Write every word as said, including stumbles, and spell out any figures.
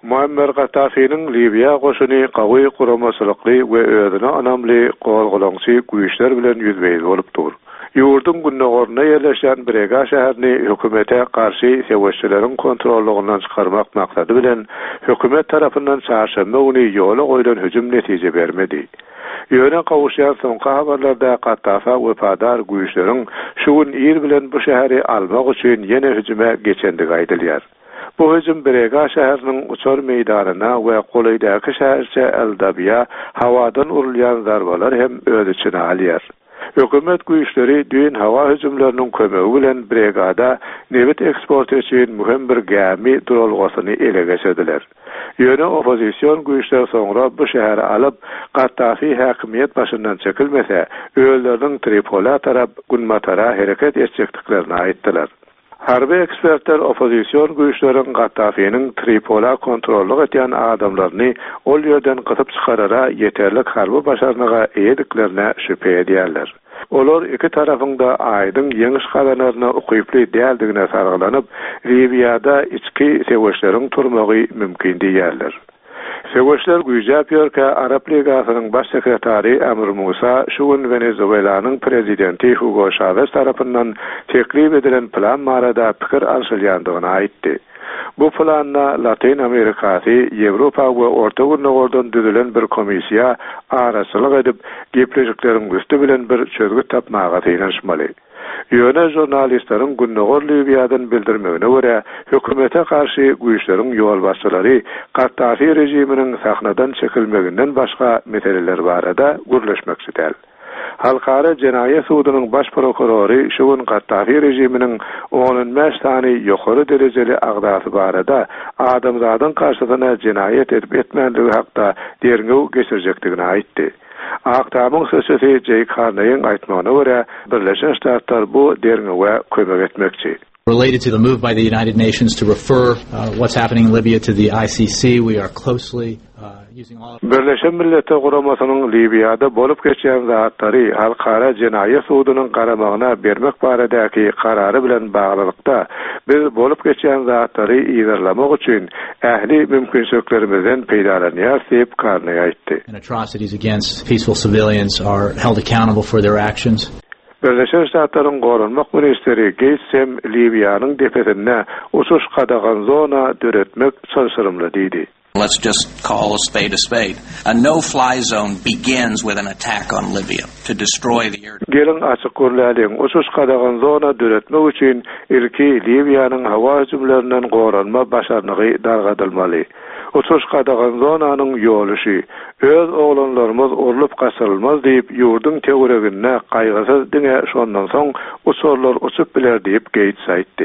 Muammer Gaddafiniň Liwiýa goşuny gawy guramaçylykly we özüne ynamly gozgalaňçy güýçler bilen ýüzbe-ýüz bolup dur. Ýurduň gündogarynda ýerleşýän Brega şäherini hökümete garşy söweşçileriň kontrollugyndan çykarmak maksady bilen hökümet tarapyndan çarşenbe güni ýola goýlan hüjüm netije bermedi. Ýöne gowuşýan soňky habarlarda Gaddafa wepadar güýçleriň şu gün ir bilen bu şäheri almak üçin ýene hüjüme geçendigi aýdylýar. Bu hüjüm Brega şäheriniň uçar meýdanyna we golaýdaky şäherçe El-Dabiýa hawadan urulýan zarbalar hem öz içine alýar. Hökümet güýçleri düýn hawa hüjümleriniň kömegi bilen Bregada nebit eksporty üçin möhüm bir gämi duralgasyny ele geçirdiler. Ýöne oppozision güýçler soňra bu şäheri alyp, Gaddafi häkimiýet başyndan çekilmese, özleriniň Tripola tarap günbatara hereket etjekdiklerini aýtdylar. Harby ekspertler oppozision güýçleriň Gaddafiniň Tripola kontrollyk edýän adamlaryny ol ýerden gysyp çykarara ýeterlik harby başarnyga eýediklerine şübhe edýärler. Olar iki tarapyň-da aýdyň ýeňiş gazanaryna ukyply däldigine sargylanyp, Liwiýada içki söweşleriň turmagy mümkin diýýärler. Söweşler güýjäp ýörkä Arap Ligasynyň baş sekretary Amr Musa şu gün Wenezuelanyň prezidenti Hugo Chavez tarapyndan teklip edilen plan barada pikir alşylýandygyny aýtdy. Bu planda Latin Amerikasy, Ýewropa we Orta Gündogardan düzülen bir komissiýa araçylyk edip, gepleşikleriň üsti bilen bir çözgüt tapmaga synanyşmaly. Ýöne žurnalistleriň Gündogar Liwiýadan bildirmegine görä, hökümete garşy güýçleriň ýolbaşçylary Gaddafi režiminiň sahnadan çekilmeginden başga meseleler barada gürleşmekçi däl. Halkara Jenaýat sudunyň baş prokurory şu gün Gaddafi režiminiň on bäş sany ýokary derejeli agzasy barada adamzadyň garşysyna jenaýat edip etmänligi hakda derňew geçirjekdigini aýtdy. Ak Tamyň sözçüsi Jeý Karneýiň aýtmagyna görä, Birleşen Ştatlar bu derňewe kömek etmekçi. Related to the move by the United Nations to refer uh, what's happening in Libya to the I C C, we are closely uh, using all Birleşen Milletler Guramasynyň Liwiýada bolup geçýän zatlary Halkara Jenaýat sudunyň garamagyna bermek baradaky karary bilen baglylykda biz bolup geçýän zatlary yzarlamak üçin ähli mümkinçiliklerimizden peýdalanýarys diýip Karneý aýtdy. And atrocities against peaceful civilians are held accountable for their actions. Birleşen Ştatlaryň Goranmak ministri Gates hem Liwiýanyň depesinde uçuş gadagan zona döretmek çylşyrymly diýdi. Let's just call a spade a spade. A no-fly zone begins with an attack on Libya to destroy the air. Geliň açyk gürläliň, uçuş gadagan zona döretmek üçin ilki Liwiýanyň hawa hüjümlerinden goranma başarnygy dargadylmaly. Uçuş gadagan zonanyň ýoly şu. Öz oglanlarymyz urlup gaçyrylmaz diýip, ýurduň töwereginde gaýgysyz diňe şondan soň uçarlar uçup biler diýip Gates aýtdy.